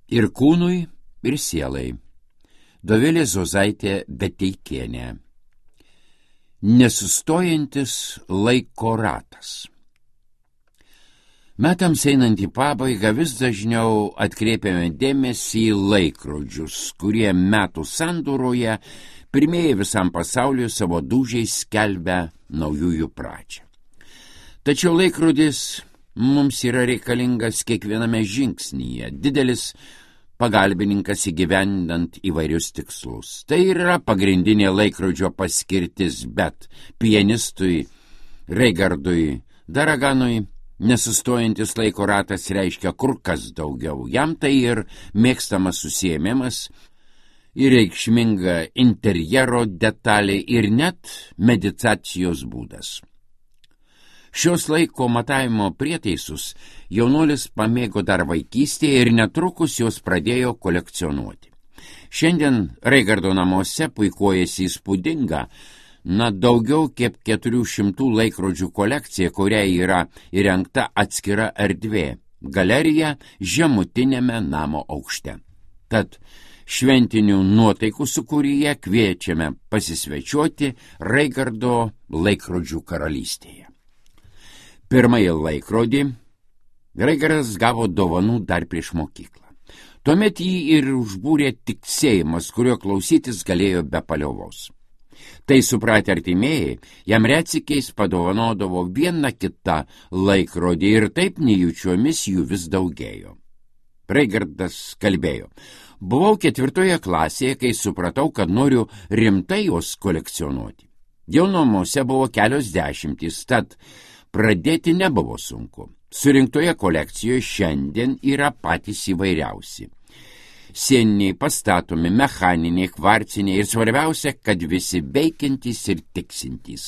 Ir kūnui, ir sielai. Dovilė Zozaitė Beteikienė. Nesustojantis laiko ratas. Metams einant į pabaigą vis dažniau atkreipiame dėmesį į laikrodžius, kurie metų sandūroje pirmieji visam pasauliu savo dūžiais skelbia naujųjų pradžią. Tačiau laikrodis mums yra reikalingas kiekviename žingsnyje, didelis pagalbininkas įgyvendinant įvairius tikslus. Tai yra pagrindinė laikrodžio paskirtis, bet pianistui Reigardui Daraganui nesustojantis laiko ratas reiškia kur kas daugiau. Jam tai ir mėgstamas užsiėmimas, ir reikšminga interjero detalė, ir net meditacijos būdas. Šios laiko matavimo prietaisus jaunuolis pamėgo dar vaikystėje ir netrukus juos pradėjo kolekcionuoti. Šiandien Reigardo namuose puikuojasi įspūdinga, daugiau kaip 400 laikrodžių kolekcija, kuriai yra įrengta atskira erdvė – galerija žemutinėme namo aukšte. Tad šventinių nuotaikų sūkuryje kviečiame pasisvečiuoti Reigardo laikrodžių karalystėje. Pirmąjį laikrodį Reigardas gavo dovanų dar prieš mokyklą. Tuomet jį ir užbūrė tiksėjimas, kurio klausytis galėjo be paliovos. Tai supratę artimieji, jam retsykiais padovanodavo vieną kitą laikrodį ir taip nejučiomis jų vis daugėjo. Reigardas kalbėjo: buvau 4 klasėje, kai supratau, kad noriu rimtai juos kolekcionuoti. Jau namuose buvo kelios dešimtys, tad pradėti nebuvo sunku. Surinktoje kolekcijoje šiandien yra patys įvairiausi. Sieniniai, pastatomi, mechaniniai, kvarciniai ir svarbiausia, kad visi veikiantys ir tiksintys.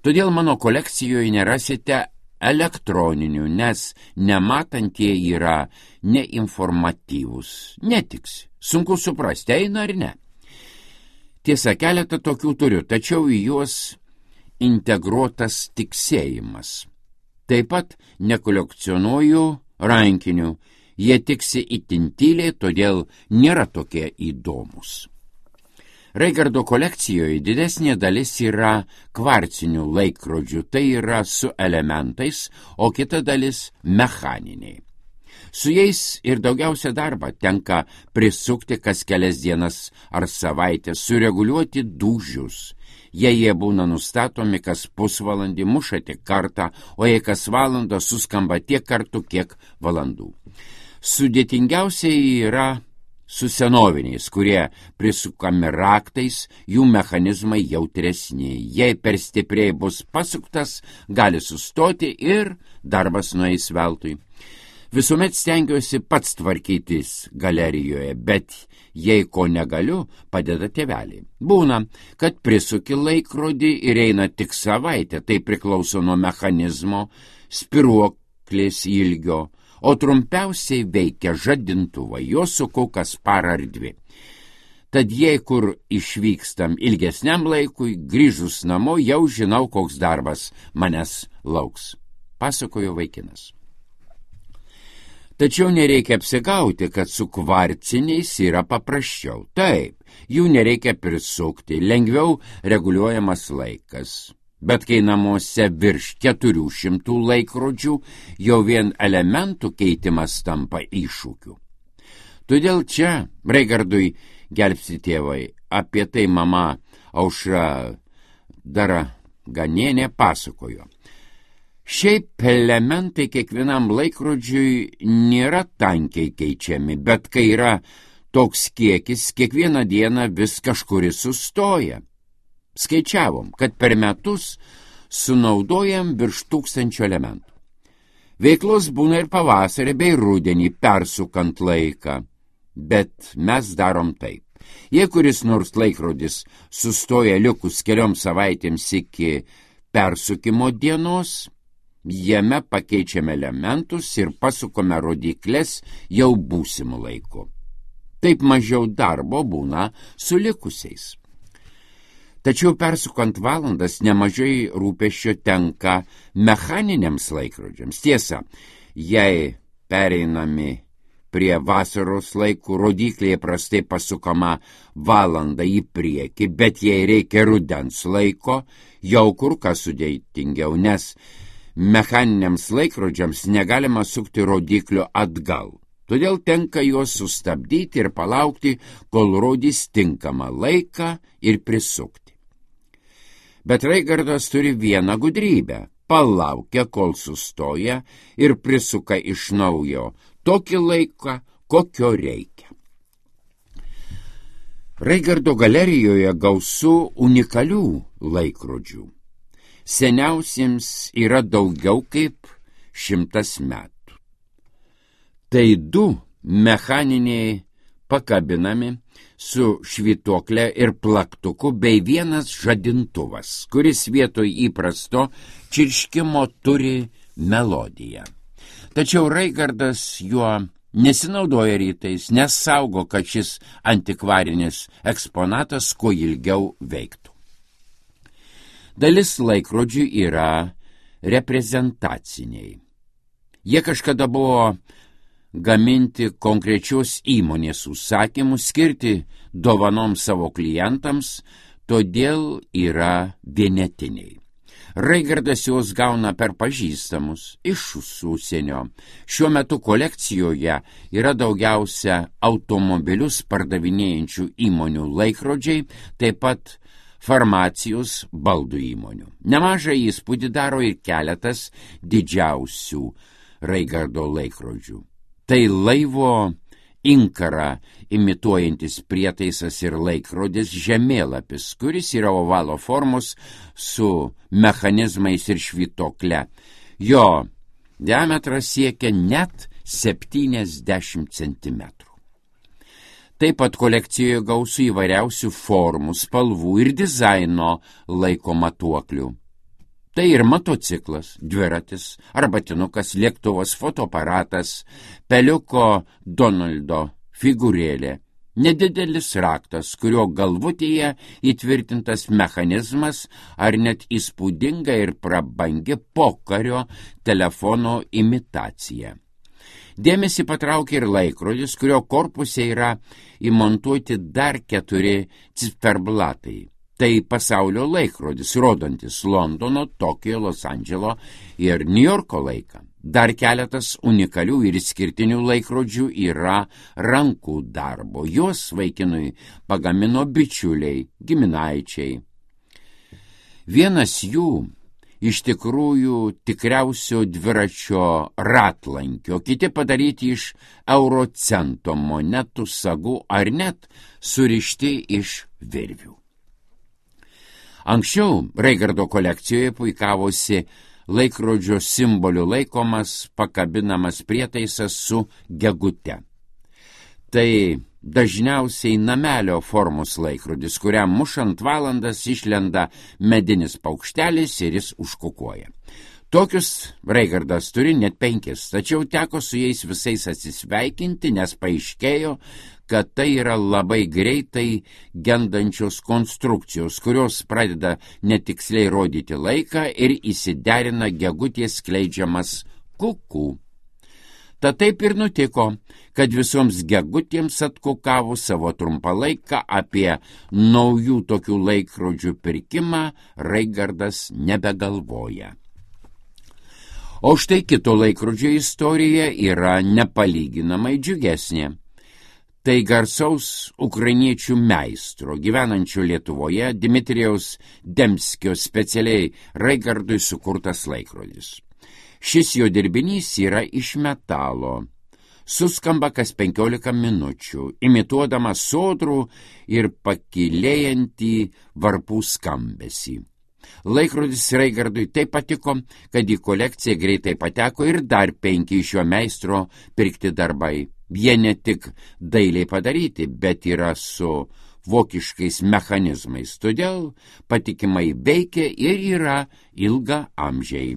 Todėl mano kolekcijoje nerasite elektroninių, nes nematantieji yra neinformatyvūs, netiks, sunku suprasti, eina ar ne. Tiesa, keletą tokių turiu, tačiau į juos integruotas tiksėjimas. Taip pat nekolekcionuoju rankinių. Jie tiksi itin tyliai, todėl nėra tokie įdomus. Reigardo kolekcijoje didesnė dalis yra kvarcinių laikrodžių, tai yra su elementais, o kita dalis mechaniniai. Su jais ir daugiausia darba tenka prisukti kas kelias dienas ar savaitę, sureguliuoti dūžius. Jei jie būna nustatomi kas pusvalandį, muša tik kartą, o jei kas valandą suskamba tiek kartų, kiek valandų. Sudėtingiausiai yra su senoviniais, kurie prisukami raktais, jų mechanizmai jautresni. Jei per stipriai bus pasuktas, gali sustoti ir darbas nueis veltui. Visuomet stengiuosi pats tvarkytis galerijoje, bet jei ko negaliu, padeda tėveliai. Būna, kad prisuki laikrodį ir eina tik savaitę, tai priklauso nuo mechanizmo, spiruoklės ilgio, o trumpiausiai veikia žadintuvą, jo suku kas parą ar 2. Tad jei kur išvykstam ilgesniam laikui, grįžus namo jau žinau, koks darbas manęs lauks, pasakojo vaikinas. Tačiau nereikia apsigauti, kad su kvarciniais yra paprasčiau. Taip, jų nereikia prisukti, lengviau reguliuojamas laikas. Bet kai namuose virš 400 laikrodžių, jau vien elementų keitimas tampa iššūkiu. Todėl čia Reigardui gelbsti tėvai. Apie tai mama Aušra Daraganienė pasakojo. Šiaip elementai kiekvienam laikrodžiui nėra tankiai keičiami, bet kai yra toks kiekis, kiekvieną dieną vis kažkuris sustoja. Skaičiavom, kad per metus sunaudojam virš 1000 elementų. Veiklos būna ir pavasarį bei rudenį persukant laiką, bet mes darom taip. Jei kuris nors laikrodis sustoja likus kelioms savaitėms iki persukimo dienos, jame pakeičiame elementus ir pasukome rodyklės jau būsimų laikų. Taip mažiau darbo būna su likusiais. Tačiau persukant valandas nemažai rūpesčio tenka mechaniniams laikrodžiams. Tiesa, jei pereinami prie vasaros laikų rodyklė prastai pasukama valandą į priekį, bet jei reikia rudens laiko, jau kur kas sudėtingiau, nes mechaniniams laikrodžiams negalima sukti rodiklio atgal. Todėl tenka juos sustabdyti ir palaukti, kol rodys tinkamą laiką ir prisukti. Bet Raigardas turi vieną gudrybę. Palaukia, kol sustoja ir prisuka iš naujo tokį laiką, kokio reikia. Raigardo galerijoje gausu unikalių laikrodžių. Seniausiems yra daugiau kaip 100 metų. Tai 2 mechaniniai pakabinami su švytuoklė ir plaktuku bei vienas žadintuvas, kuris vietoj įprasto čirškimo turi melodiją. Tačiau Raigardas juo nesinaudoja rytais, nes saugo, kad šis antikvarinis eksponatas kuo ilgiau veiktų. Dalis laikrodžių yra reprezentaciniai. Jie kažkada buvo gaminti konkrečios įmonės užsakymų, skirti dovanom savo klientams, todėl yra vienetiniai. Raigardas juos gauna per pažįstamus iš užsienio. Šiuo metu kolekcijoje yra daugiausia automobilius pardavinėjančių įmonių laikrodžiai, taip pat farmacijos baldų įmonių. Nemažą įspūdį daro ir keletas didžiausių Raigardo laikrodžių. Tai laivo inkarą imituojantis prietaisas ir laikrodis žemėlapis, kuris yra ovalo formos su mechanizmais ir švytokle. Jo diametras siekia net 70 cm. Taip pat kolekcijoje gausu įvairiausių formų, spalvų ir dizaino laiko matuoklių. Tai ir motociklas, dviratis, arbatinukas, lėktuvas, fotoaparatas, peliuko Donaldo figūrėlė, nedidelis raktas, kurio galvutėje įtvirtintas mechanizmas ar net įspūdinga ir prabangi pokario telefono imitacija. Dėmesį patraukia ir laikrodis, kurio korpuse yra įmontuoti dar 4 ciferblatai. Tai pasaulio laikrodis, rodantis Londono, Tokijo, Los Andželo ir Niujorko laiką. Dar keletas unikalių ir išskirtinių laikrodžių yra rankų darbo. Juos vaikinui pagamino bičiuliai, giminaičiai. Vienas jų iš tikrųjų tikriausio dviračio ratlankio, kiti padaryti iš eurocento monetų sagų ar net surišti iš virvių. Anksčiau Raigardo kolekcijoje puikavosi laikrodžio simboliu laikomas pakabinamas prietaisas su gegute. Tai dažniausiai namelio formos laikrodis, kuriam mušant valandas išlenda medinis paukštelis ir jis užkukuoja. Tokius Raigardas turi net 5, tačiau teko su jais visais atsisveikinti, nes paaiškėjo, kad tai yra labai greitai gendančios konstrukcijos, kurios pradeda netiksliai rodyti laiką ir įsiderina gegutės skleidžiamas kukų. Tad taip ir nutiko, kad visoms gegutėms atkukavus savo trumpą laiką apie naujų tokių laikrodžių pirkimą Raigardas nebegalvoja. O štai kito laikrodžio istorija yra nepalyginamai džiugesnė. Tai garsaus ukrainiečių meistro, gyvenančio Lietuvoje, Dmitrijaus Demskio specialiai Raigardui sukurtas laikrodis. Šis jo dirbinys yra iš metalo. Suskamba kas 15 minučių, imituodama sodrų ir pakilėjantį varpų skambesį. Laikrodis Raigardui taip patiko, kad į kolekciją greitai pateko ir dar 5 iš jo meistro pirkti darbai. Jie ne tik dailiai padaryti, bet yra su vokiškais mechanizmais, todėl patikimai veikia ir yra ilga amžiai.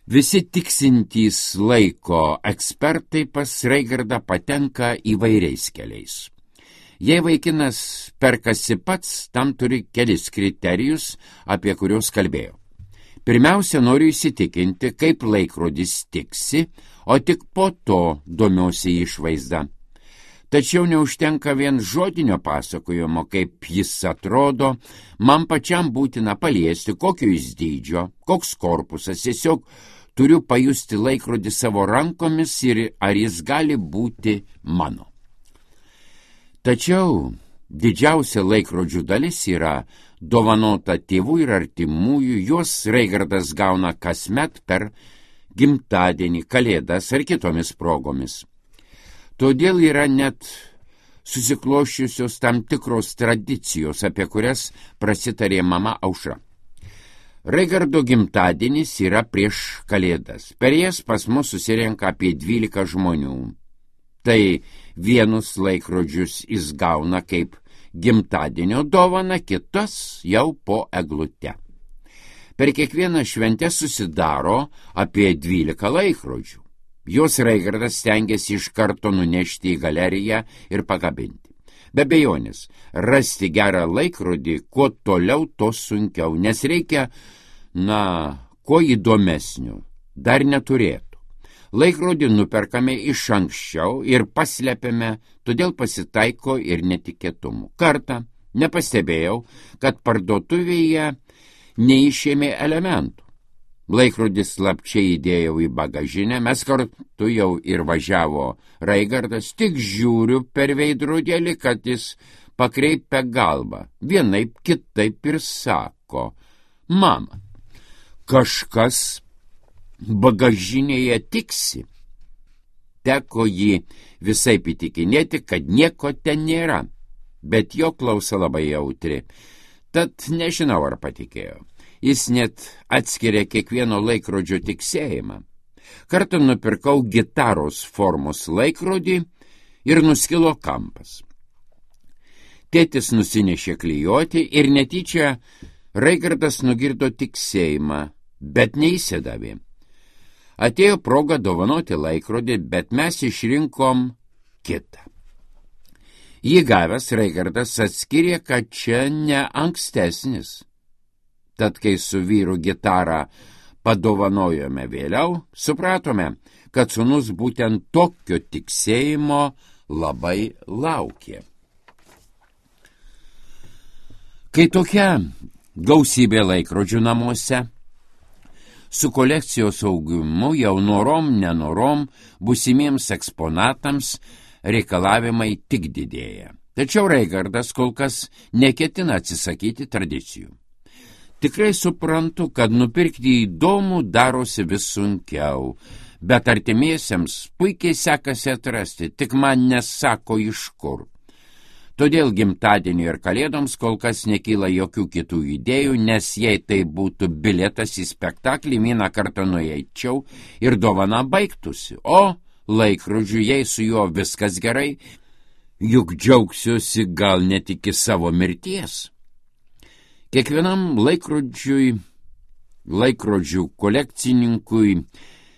Visi tiksintys laiko ekspertai pas Raigardą patenka įvairiais keliais. Jei vaikinas perkasi pats, tam turi kelis kriterijus, apie kuriuos kalbėjau. Pirmiausia, noriu įsitikinti, kaip laikrodis tiksi, o tik po to domiuosi išvaizda. Tačiau neužtenka vien žodinio pasakojimo, kaip jis atrodo, man pačiam būtina paliesti, kokio jis dydžio, koks korpusas, tiesiog turiu pajusti laikrodį savo rankomis ir ar jis gali būti mano. Tačiau didžiausia laikrodžių dalis yra dovanota tėvų ir artimųjų, juos Reigardas gauna kasmet per gimtadienį, kalėdas ar kitomis progomis. Todėl yra net susikloščiusios tam tikros tradicijos, apie kurias prasitarė mama Aušra. Reigardo gimtadienis yra prieš kalėdas. Per jas pas mus susirenka apie 12 žmonių. Tai vienus laikrodžius jis gauna kaip gimtadienio dovana, kitas jau po eglute. Per kiekvieną šventę susidaro apie 12 laikrodžių. Jos Reigardas stengiasi iš karto nunešti į galeriją ir pakabinti. Be abejonės, rasti gerą laikrodį, kuo toliau, to sunkiau, nes reikia, kuo įdomesnių, dar neturėtų. Laikrodį nuperkame iš anksčiau ir paslepiame, todėl pasitaiko ir netikėtumų. Kartą nepastebėjau, kad parduotuvėje neišėmė elementų. Laikrodis slapčiai įdėjau į bagažinę, mes kartu jau ir važiavo Reigardas, tik žiūriu per veidrodėlį, kad jis pakreipia galvą, vienaip kitaip ir sako: mama, kažkas bagažinėje tiksi. Teko jį visaip įtikinėti, kad nieko ten nėra, bet jo klausa labai jautri, tad nežinau, ar patikėjo. Jis net atskiria kiekvieno laikrodžio tiksėjimą. Kartą nupirkau gitaros formos laikrodį ir nuskilo kampas. Tėtis nusinešė klijuoti ir netyčia Reigardas nugirdo tiksėjimą, bet neįsidavė. Atėjo proga dovanoti laikrodį, bet mes išrinkom kitą. Jį gavęs Reigardas atskyrė, kad čia ne ankstesnis. Tad, kai su vyru gitarą padovanojome vėliau, supratome, kad sūnus būtent tokio tiksėjimo labai laukė. Kai tokia gausybė laikrodžių namuose, su kolekcijos augimu jau norom, nenorom, būsimiems eksponatams reikalavimai tik didėja. Tačiau Reigardas kol kas neketina atsisakyti tradicijų. Tikrai suprantu, kad nupirkti įdomų darosi vis sunkiau, bet artimiesiems puikiai sekasi atrasti, tik man nesako iš kur. Todėl gimtadienį ir kalėdoms kol kas nekyla jokių kitų idėjų, nes jei tai būtų bilietas į spektaklį, vieną kartą nueičiau ir dovana baigtųsi, o laikrodžiu, jei su juo viskas gerai, juk džiaugsiuosi gal net iki savo mirties. Kiekvienam laikrodžių kolekcininkui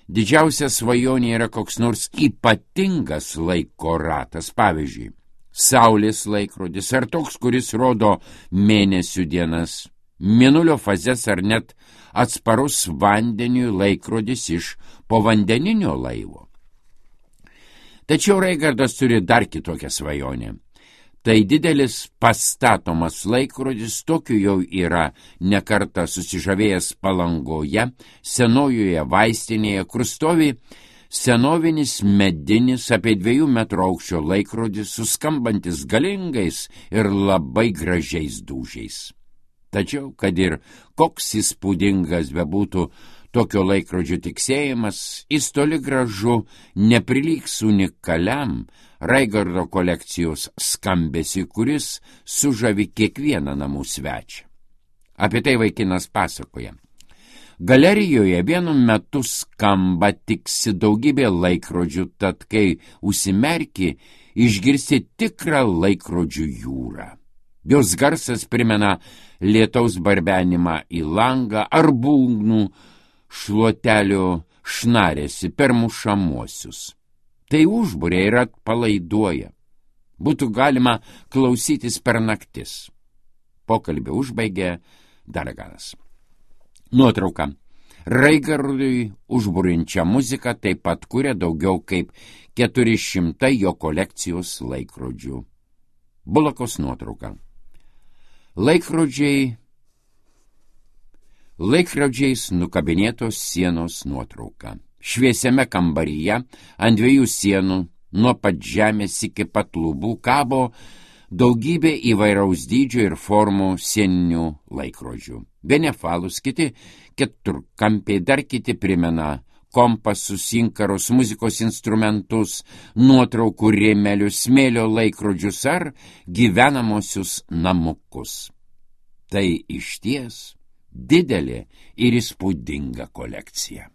didžiausia svajonė yra koks nors ypatingas laiko ratas, pavyzdžiui, saulės laikrodis ar toks, kuris rodo mėnesių dienas, mėnulio fazes ar net atsparus vandeniui laikrodis iš povandeninio laivo. Tačiau Reigardas turi dar kitokią svajonę. Tai didelis pastatomas laikrodis, tokiu jau yra nekartą susižavėjęs Palangoje, senojoje vaistinėje, kur stovi senovinis medinis apie 2 metrų aukščio laikrodis, suskambantis galingais ir labai gražiais dūžiais. Tačiau, kad ir koks įspūdingas bebūtų tokio laikrodžio tiksėjimas, jis toli gražu neprilygs unikaliam Reigardo kolekcijos skambesį, kuris sužavi kiekvieną namų svečią. Apie tai vaikinas pasakoja. Galerijoje vienu metu skamba tiksi daugybė laikrodžių, tad kai užsimerki, išgirsti tikrą laikrodžių jūrą. Jos garsas primena lietaus barbenimą į langą ar būgnų šluotelio šnarėsi per mušamuosius. Tai užburia ir atpalaiduoja. Būtų galima klausytis per naktis. Pokalbį užbaigė Darganas. Nuotrauka. Raigarului užburinčią muziką taip pat kuria daugiau kaip 400 jo kolekcijos laikrodžių. Bulakos nuotrauka. Laikrodžiais nukabinėtos sienos nuotrauka. Šviesiame kambaryje ant 2 sienų nuo pat žemės iki pat lubų kabo daugybė įvairaus dydžio ir formų sieninių laikrodžių. Benefalus, kiti keturkampiai, dar kiti primena kompasus, inkarus, muzikos instrumentus, nuotraukų rėmelius, smėlio laikrodžius ar gyvenamosius namukus. Tai išties didelė ir įspūdinga kolekcija.